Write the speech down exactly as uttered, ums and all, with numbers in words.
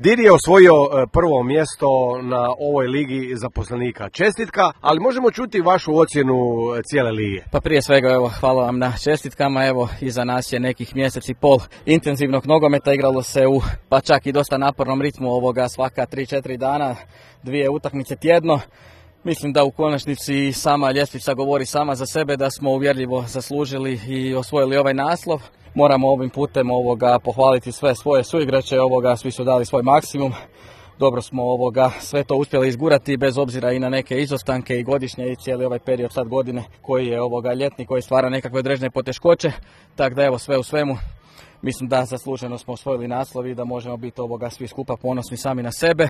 Diri je osvojio prvo mjesto na ovoj ligi zaposlenika. Čestitka, ali možemo čuti vašu ocjenu cijele lige. Pa prije svega evo, hvala vam na čestitkama. Evo, iza nas je nekih mjesec i pol intenzivnog nogometa, igralo se u pa čak i dosta napornom ritmu ovoga svaka tri četiri dana, dvije utakmice tjedno. Mislim da u konačnici sama ljestvica govori sama za sebe, da smo uvjerljivo zaslužili i osvojili ovaj naslov. Moramo ovim putem ovoga pohvaliti sve svoje suigrače, ovoga svi su dali svoj maksimum. Dobro smo ovoga sve to uspjeli izgurati bez obzira i na neke izostanke i godišnje i cijeli ovaj period sad godine koji je ovoga ljetni, koji stvara nekakve određene poteškoće. Tako da evo, sve u svemu mislim da zasluženo smo osvojili naslov i da možemo biti ovoga svi skupa ponosni sami na sebe.